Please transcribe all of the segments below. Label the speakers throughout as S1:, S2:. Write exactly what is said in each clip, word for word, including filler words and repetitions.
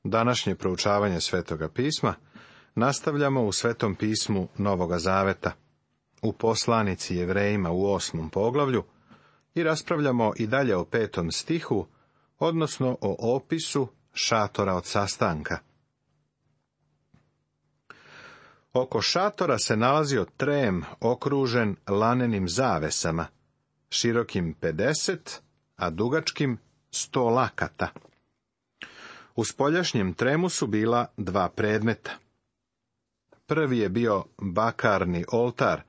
S1: Današnje proučavanje Svetoga pisma nastavljamo u Svetom pismu Novoga Zaveta, u poslanici Jevrejima u osmom poglavlju, i raspravljamo i dalje o petom stihu, odnosno o opisu šatora od sastanka. Oko šatora se nalazio trem okružen lanenim zavesama, širokim pedeset, a dugačkim sto lakata. U spoljašnjem tremu su bila dva predmeta. Prvi je bio bakarni oltar,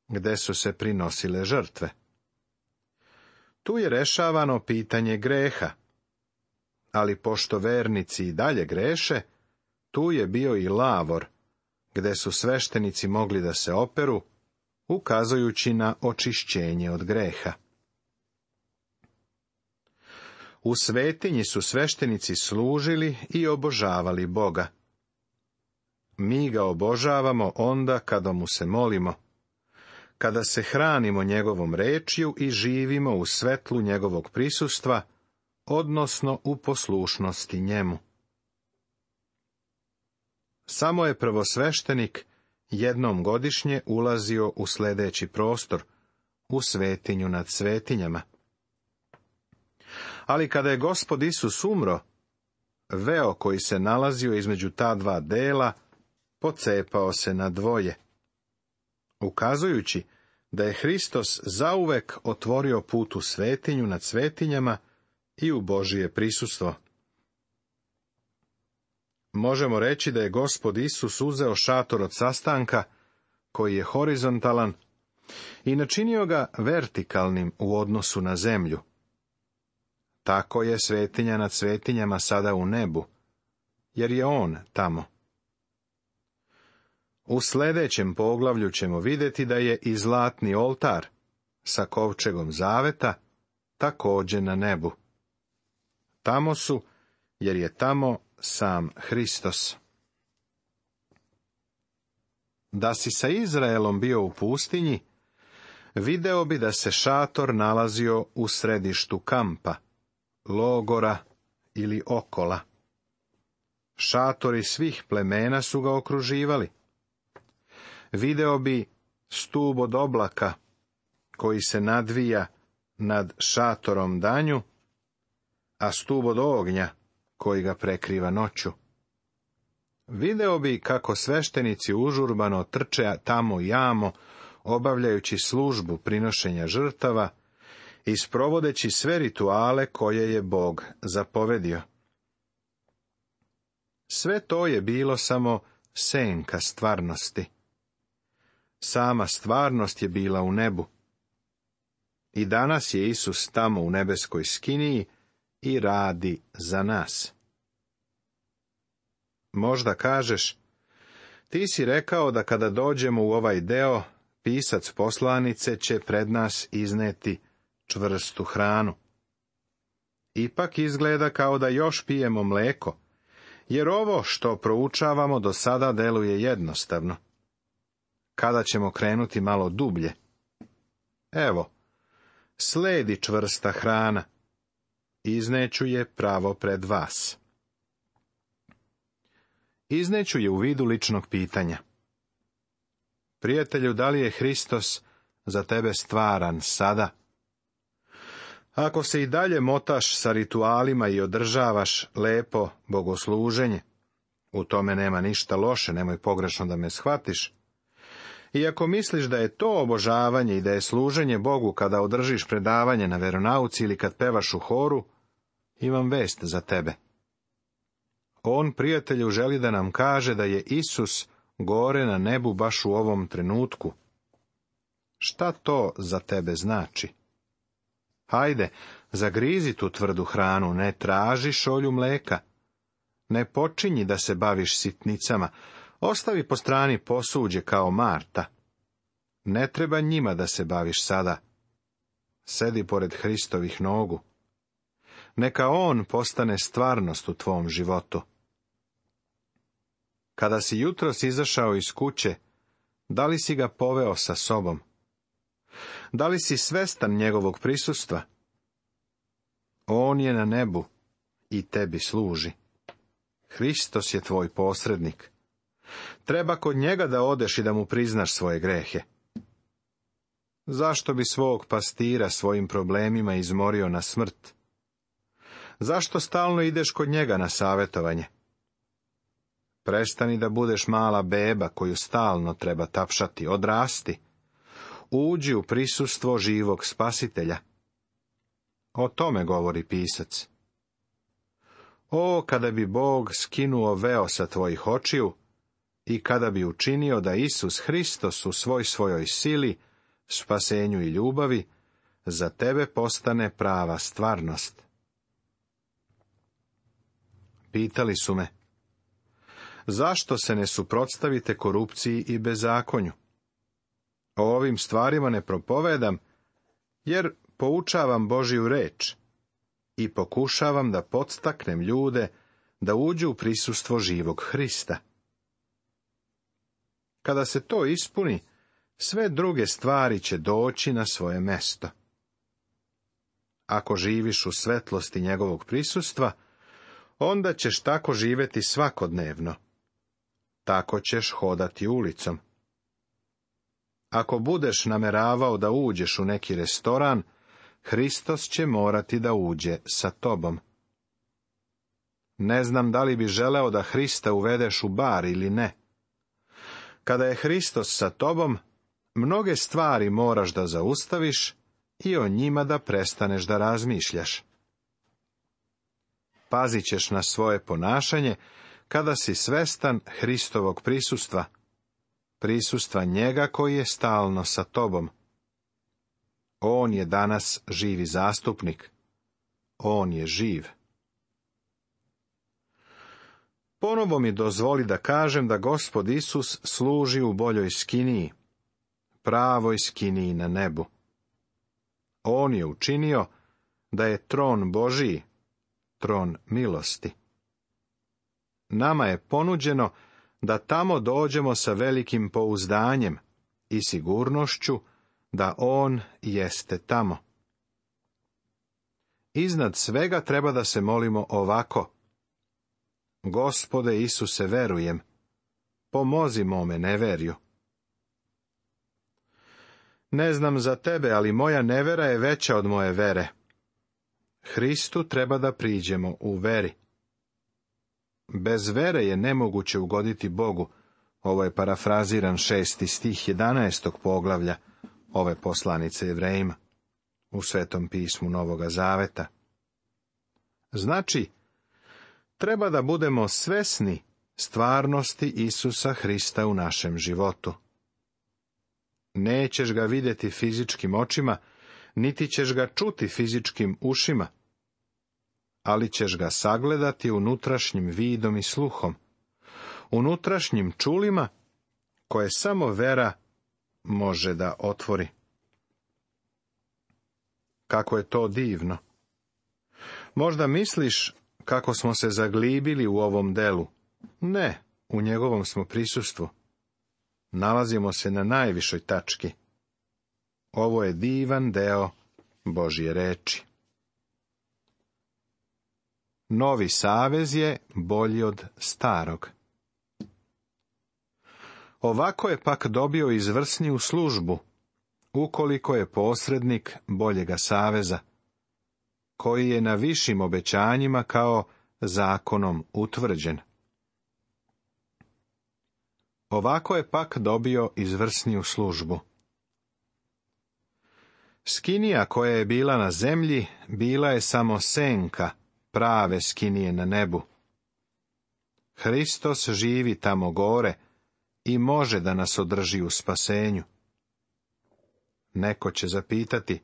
S1: gde su se prinosile žrtve. Tu je rešavano pitanje greha, ali pošto vernici i dalje greše, tu je bio i lavor, gde su sveštenici mogli da se operu, ukazujući na očišćenje od greha. U svetinji su sveštenici služili i obožavali Boga. Mi ga obožavamo onda kada mu se molimo, kada se hranimo njegovom rečju i živimo u svetlu njegovog prisustva, odnosno u poslušnosti njemu. Samo je prvosveštenik jednom godišnje ulazio u sljedeći prostor, u svetinju nad svetinjama. Ali kada je Gospod Isus umro, veo koji se nalazio između ta dva dela pocepao se na dvoje, ukazujući da je Hristos zauvek otvorio put u svetinju nad svetinjama i u Božije prisustvo. Možemo reći da je Gospod Isus uzeo šator od sastanka, koji je horizontalan, i načinio ga vertikalnim u odnosu na zemlju. Tako je svetinja nad svetinjama sada u nebu, jer je on tamo. U sljedećem poglavlju ćemo vidjeti da je i zlatni oltar sa kovčegom zaveta također na nebu. Tamo su, jer je tamo sam Hristos. Da si sa Izraelom bio u pustinji, video bi da se šator nalazio u središtu kampa, logora ili okola. Šatori svih plemena su ga okruživali. Video bi stub od oblaka, koji se nadvija nad šatorom danju, a stub od ognja, koji ga prekriva noću. Video bi kako sveštenici užurbano trče tamo i amo, obavljajući službu prinošenja žrtava i sprovodeći sve rituale koje je Bog zapovedio. Sve to je bilo samo senka stvarnosti. Sama stvarnost je bila u nebu. I danas je Isus tamo u nebeskoj skiniji i radi za nas. Možda kažeš, ti si rekao da kada dođemo u ovaj deo, pisac poslanice će pred nas izneti čvrstu hranu. Ipak izgleda kao da još pijemo mleko, jer ovo što proučavamo do sada deluje jednostavno. Kada ćemo krenuti malo dublje? Evo, sledi čvrsta hrana. Izneću je pravo pred vas. Izneću je u vidu ličnog pitanja. Prijatelju, da li je Hristos za tebe stvaran sada? Ako se i dalje motaš sa ritualima i održavaš lepo bogosluženje, u tome nema ništa loše, nemoj pogrešno da me shvatiš. I ako misliš da je to obožavanje i da je služenje Bogu kada održiš predavanje na veronauci ili kad pevaš u horu, imam vest za tebe. On, prijatelju, želi da nam kaže da je Isus gore na nebu baš u ovom trenutku. Šta to za tebe znači? Hajde, zagrizi tu tvrdu hranu, ne traži šolju mleka. Ne počinji da se baviš sitnicama, ostavi po strani posuđe kao Marta. Ne treba njima da se baviš sada. Sedi pored Hristovih nogu. Neka on postane stvarnost u tvom životu. Kada si jutros izašao iz kuće, da li si ga poveo sa sobom? Da li si svestan njegovog prisustva? On je na nebu i tebi služi. Hristos je tvoj posrednik. Treba kod njega da odeš i da mu priznaš svoje grehe. Zašto bi svog pastira svojim problemima izmorio na smrt? Zašto stalno ideš kod njega na savjetovanje? Prestani da budeš mala beba koju stalno treba tapšati, odrasti. Uđi u prisustvo živog spasitelja. O tome govori pisac. O, kada bi Bog skinuo veo sa tvojih očiju i kada bi učinio da Isus Hristos u svoj svojoj sili, spasenju i ljubavi za tebe postane prava stvarnost. Pitali su me, zašto se ne suprotstavite korupciji i bezakonju? O ovim stvarima ne propovedam, jer poučavam Božju reč i pokušavam da podstaknem ljude da uđu u prisustvo živog Hrista. Kada se to ispuni, sve druge stvari će doći na svoje mesto. Ako živiš u svetlosti njegovog prisustva, onda ćeš tako živjeti svakodnevno. Tako ćeš hodati ulicom. Ako budeš nameravao da uđeš u neki restoran, Hristos će morati da uđe sa tobom. Ne znam da li bi želeo da Hrista uvedeš u bar ili ne. Kada je Hristos sa tobom, mnoge stvari moraš da zaustaviš i o njima da prestaneš da razmišljaš. Pazit ćeš na svoje ponašanje kada si svestan Hristovog prisustva, prisustva njega koji je stalno sa tobom. On je danas živi zastupnik. On je živ. Ponovo mi dozvoli da kažem da Gospod Isus služi u boljoj skiniji, pravoj skiniji na nebu. On je učinio da je tron Božiji, tron milosti. Nama je ponuđeno da tamo dođemo sa velikim pouzdanjem i sigurnošću da on jeste tamo. Iznad svega treba da se molimo ovako: Gospode Isuse, verujem, pomozi mome neverju. Ne znam za tebe, ali moja nevera je veća od moje vere. Hristu treba da priđemo u veri. Bez vere je nemoguće ugoditi Bogu. Ovo je parafraziran šesti stih jedanaestog poglavlja ove poslanice Jevrejima u Svetom pismu Novoga Zaveta. Znači, treba da budemo svesni stvarnosti Isusa Hrista u našem životu. Nećeš ga vidjeti fizičkim očima, niti ćeš ga čuti fizičkim ušima, ali ćeš ga sagledati unutrašnjim vidom i sluhom, unutrašnjim čulima koje samo vera može da otvori. Kako je to divno! Možda misliš kako smo se zaglibili u ovom delu. Ne, u njegovom smo prisustvu. Nalazimo se na najvišoj tački. Ovo je divan deo Božje reči. Novi savez je bolji od starog. Ovako je pak dobio izvrsniju službu, ukoliko je posrednik boljega saveza, koji je na višim obećanjima kao zakonom utvrđen. Ovako je pak dobio izvrsniju službu. Skinija koja je bila na zemlji, bila je samo senka prave skinije na nebu. Hristos živi tamo gore i može da nas održi u spasenju. Neko će zapitati,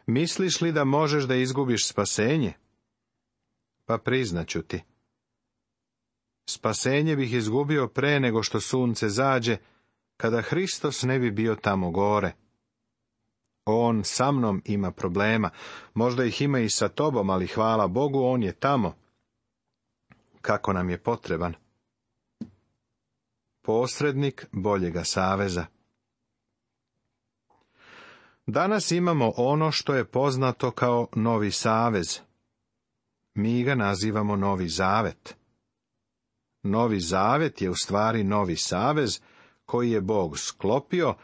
S1: misliš li da možeš da izgubiš spasenje? Pa priznaću ti. Spasenje bih izgubio pre nego što sunce zađe, kada Hristos ne bi bio tamo gore. On sa mnom ima problema, možda ih ima i sa tobom, ali hvala Bogu, on je tamo. Kako nam je potreban? Posrednik boljega saveza. Danas imamo ono što je poznato kao Novi savez. Mi ga nazivamo Novi Zavet. Novi zavet je u stvari novi savez koji je Bog sklopio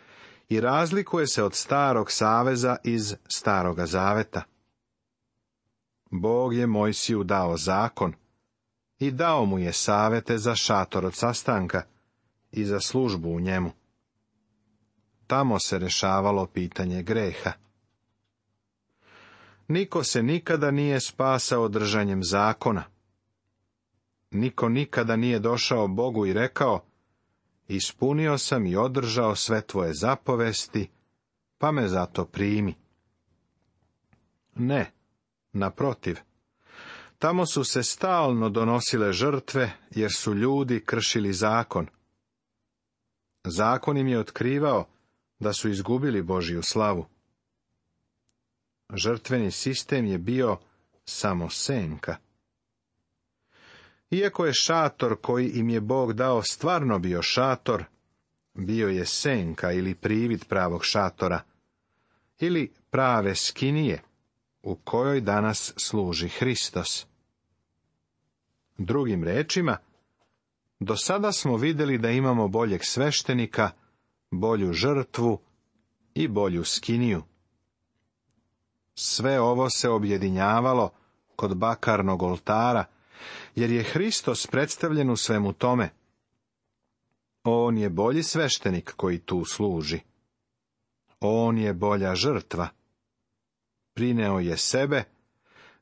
S1: i razlikuje se od starog saveza iz staroga zaveta. Bog je Mojsiju dao zakon i dao mu je savete za šator od sastanka i za službu u njemu. Tamo se rešavalo pitanje greha. Niko se nikada nije spasao držanjem zakona. Niko nikada nije došao Bogu i rekao: ispunio sam i održao sve tvoje zapovesti, pa me zato primi. Ne, naprotiv. Tamo su se stalno donosile žrtve, jer su ljudi kršili zakon. Zakon im je otkrivao da su izgubili Božju slavu. Žrtveni sistem je bio samo senka. Iako je šator koji im je Bog dao stvarno bio šator, bio je senka ili privid pravog šatora, ili prave skinije, u kojoj danas služi Hristos. Drugim rečima, do sada smo vidjeli da imamo boljeg sveštenika, bolju žrtvu i bolju skiniju. Sve ovo se objedinjavalo kod bakarnog oltara, jer je Hristos predstavljen u svemu tome. On je bolji sveštenik koji tu služi. On je bolja žrtva. Prineo je sebe,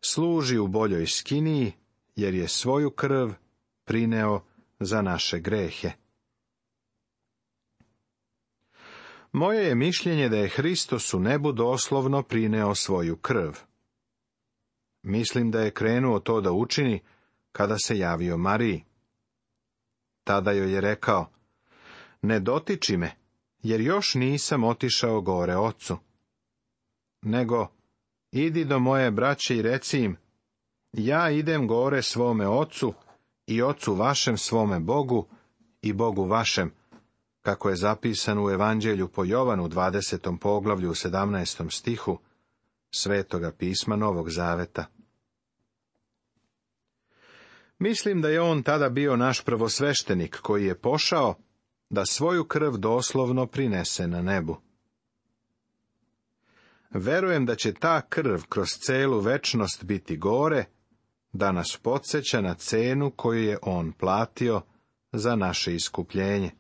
S1: služi u boljoj skiniji, jer je svoju krv prineo za naše grehe. Moje je mišljenje da je Hristos u nebu doslovno prineo svoju krv. Mislim da je krenuo to da učini kada se javio Mariji. Tada joj je rekao: ne dotiči me, jer još nisam otišao gore ocu. Nego, idi do moje braće i reci im: ja idem gore svome ocu i ocu vašem svome Bogu i Bogu vašem, kako je zapisano u Evanđelju po Jovanu, dvadesetom poglavlju, sedamnaestom stihu, Svetoga pisma Novog Zaveta. Mislim da je on tada bio naš prvosveštenik koji je pošao da svoju krv doslovno prinese na nebu. Verujem da će ta krv kroz celu večnost biti gore, da nas podsjeća na cenu koju je on platio za naše iskupljenje.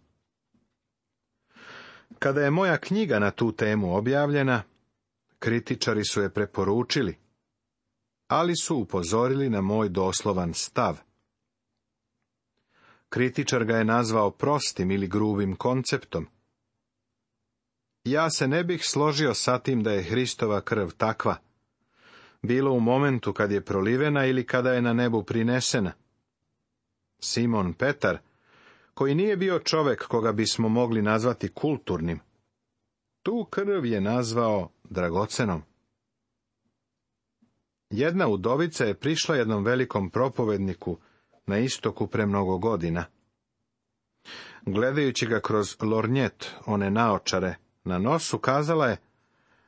S1: Kada je moja knjiga na tu temu objavljena, kritičari su je preporučili, ali su upozorili na moj doslovan stav. Kritičar ga je nazvao prostim ili grubim konceptom. Ja se ne bih složio sa tim da je Hristova krv takva, bilo u momentu kad je prolivena ili kada je na nebu prinesena. Simon Petar, koji nije bio čovek koga bismo mogli nazvati kulturnim, tu krv je nazvao dragocenom. Jedna udovica je prišla jednom velikom propovedniku na istoku pre mnogo godina. Gledajući ga kroz lornjet, one naočare na nosu, kazala je: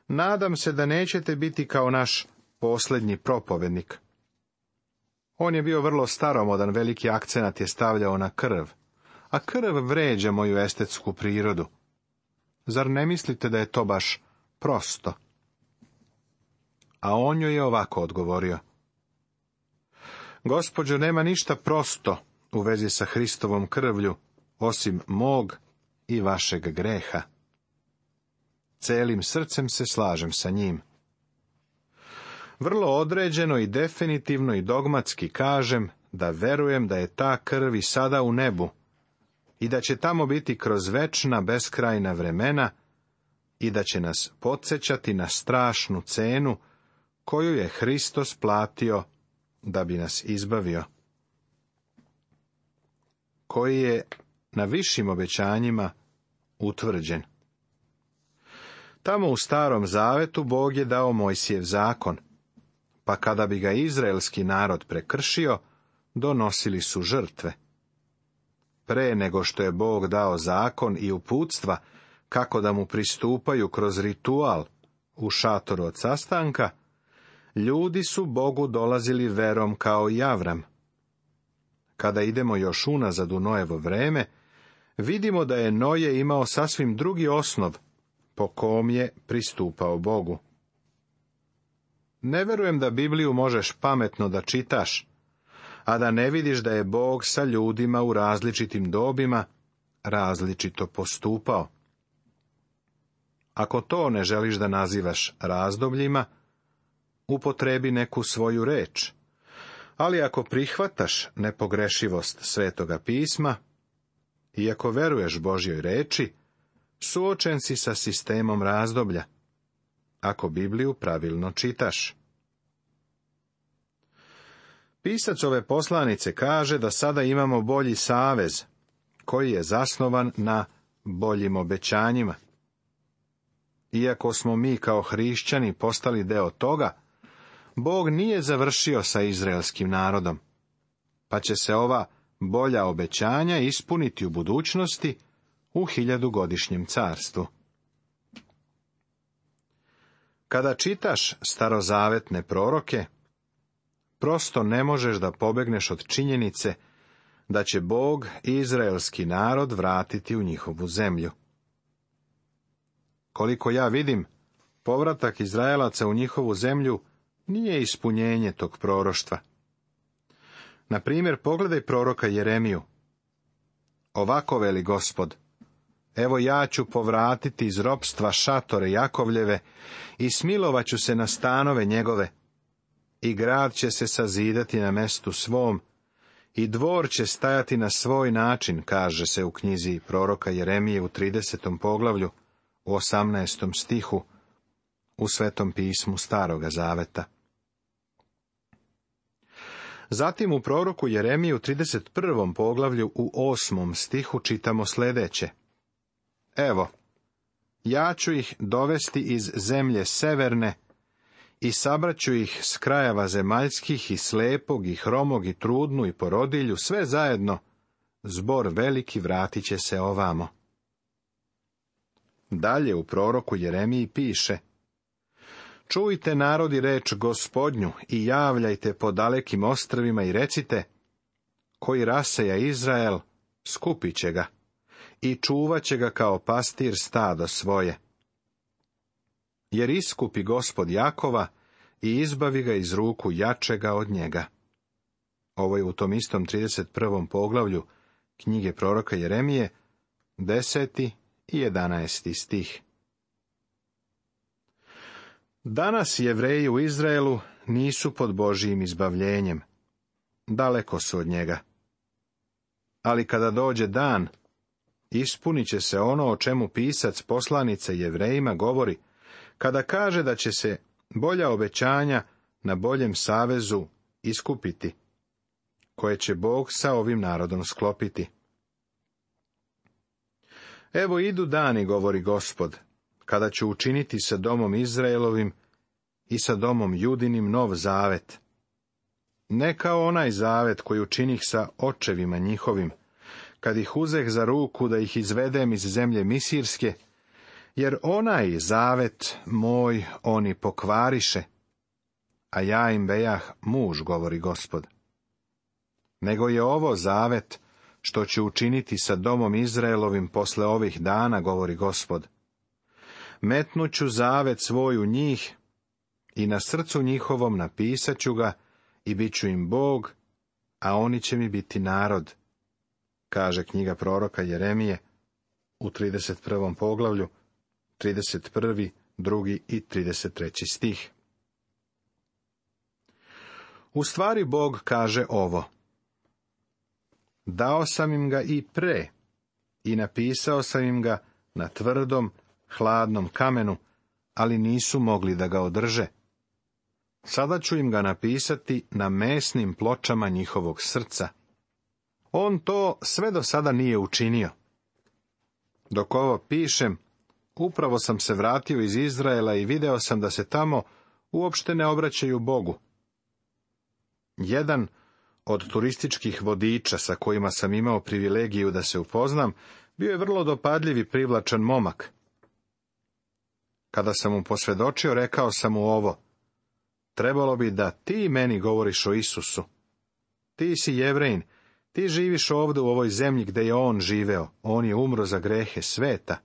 S1: nadam se da nećete biti kao naš posljednji propovednik. On je bio vrlo staromodan, veliki akcenat je stavljao na krv, a krv vređa moju estetsku prirodu. Zar ne mislite da je to baš prosto? A on joj je ovako odgovorio: Gospođo, nema ništa prosto u vezi sa Hristovom krvlju, osim mog i vašeg greha. Celim srcem se slažem sa njim. Vrlo određeno i definitivno i dogmatski kažem da verujem da je ta krv i sada u nebu i da će tamo biti kroz večna beskrajna vremena i da će nas podsjećati na strašnu cenu koju je Hristos platio da bi nas izbavio, koji je na višim obećanjima utvrđen. Tamo u Starom Zavetu Bog je dao Mojsijev zakon, pa kada bi ga izraelski narod prekršio, donosili su žrtve. Pre nego što je Bog dao zakon i uputstva kako da mu pristupaju kroz ritual u šatoru od sastanka, ljudi su Bogu dolazili verom kao i Avram. kada idemo još unazad u Noevo vreme, vidimo da je Noje imao sasvim drugi osnov po kom je pristupao Bogu. Ne verujem da Bibliju možeš pametno da čitaš, a da ne vidiš da je Bog sa ljudima u različitim dobima različito postupao. Ako to ne želiš da nazivaš razdobljima, upotrebi neku svoju reč, ali ako prihvataš nepogrešivost Svetoga pisma, i ako veruješ Božjoj reči, suočen si sa sistemom razdoblja, ako Bibliju pravilno čitaš. Pisac ove poslanice kaže da sada imamo bolji savez, koji je zasnovan na boljim obećanjima. Iako smo mi kao hrišćani postali deo toga, Bog nije završio sa izraelskim narodom, pa će se ova bolja obećanja ispuniti u budućnosti u hiljadugodišnjem carstvu. Kada čitaš starozavetne proroke, prosto ne možeš da pobegneš od činjenice da će Bog izraelski narod vratiti u njihovu zemlju. Koliko ja vidim, povratak Izraelaca u njihovu zemlju nije ispunjenje tog proroštva. Na primjer, pogledaj proroka Jeremiju. Ovako veli Gospod: evo ja ću povratiti iz ropstva šatore Jakovljeve i smilovat ću se na stanove njegove, i grad će se sazidati na mestu svom, i dvor će stajati na svoj način, kaže se u knjizi proroka Jeremije u tridesetom poglavlju, u osamnaestom stihu, u Svetom pismu Staroga zaveta. Zatim u proroku Jeremije u trideset prvom poglavlju u osmom stihu čitamo sljedeće: evo, ja ću ih dovesti iz zemlje severne i sabraću ih s krajeva zemaljskih, i slepog, i hromog, i trudnu, i porodilju, sve zajedno, zbor veliki vratit će se ovamo. Dalje u proroku Jeremiji piše: čujte narodi reč Gospodnju i javljajte po dalekim ostrvima i recite: koji raseja Izrael, skupit će ga i čuvat će ga kao pastir stado svoje. Jer iskupi Gospod Jakova i izbavi ga iz ruku jačega od njega. Ovo je u tom istom trideset prvom poglavlju knjige proroka Jeremije, deseti i jedanaesti stih. Danas Jevreji u Izraelu nisu pod Božijim izbavljenjem. Daleko su od njega. Ali kada dođe dan, ispunit će se ono o čemu pisac poslanice Jevrejima govori, kada kaže da će se bolja obećanja na boljem savezu iskupiti, koje će Bog sa ovim narodom sklopiti. Evo idu dani, govori Gospod, kada ću učiniti sa domom Izraelovim i sa domom Judinim nov zavet. Ne kao onaj zavet koji učinih sa očevima njihovim, kad ih uzeh za ruku da ih izvedem iz zemlje Misirske, jer onaj zavet moj oni pokvariše, a ja im bejah muž, govori Gospod. Nego je ovo zavet što ću učiniti sa domom Izraelovim posle ovih dana, govori Gospod. Metnuću zavet svoj u njih i na srcu njihovom napisat ću ga i bit ću im Bog, a oni će mi biti narod, kaže knjiga proroka Jeremije u trideset prvom poglavlju, trideset prvi, drugi i trideset treći stih. U stvari Bog kaže ovo: dao sam im ga i pre, i napisao sam im ga na tvrdom, hladnom kamenu, ali nisu mogli da ga održe. Sada ću im ga napisati na mesnim pločama njihovog srca. On to sve do sada nije učinio. Dok ovo pišem, upravo sam se vratio iz Izraela i video sam da se tamo uopšte ne obraćaju Bogu. Jedan od turističkih vodiča sa kojima sam imao privilegiju da se upoznam, bio je vrlo dopadljiv i privlačan momak. Kada sam mu posvjedočio, rekao sam mu ovo: trebalo bi da ti meni govoriš o Isusu. Ti si Jevrejin Ti živiš ovdje u ovoj zemlji gdje je on živeo, on je umro za grehe sveta.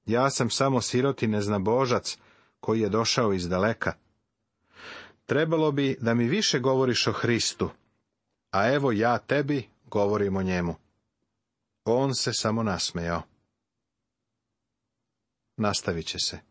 S1: Ja sam samo sirot i neznabožac koji je došao iz daleka. Trebalo bi da mi više govoriš o Hristu, a evo ja tebi govorim o njemu. On se samo nasmejao. Nastavit će se.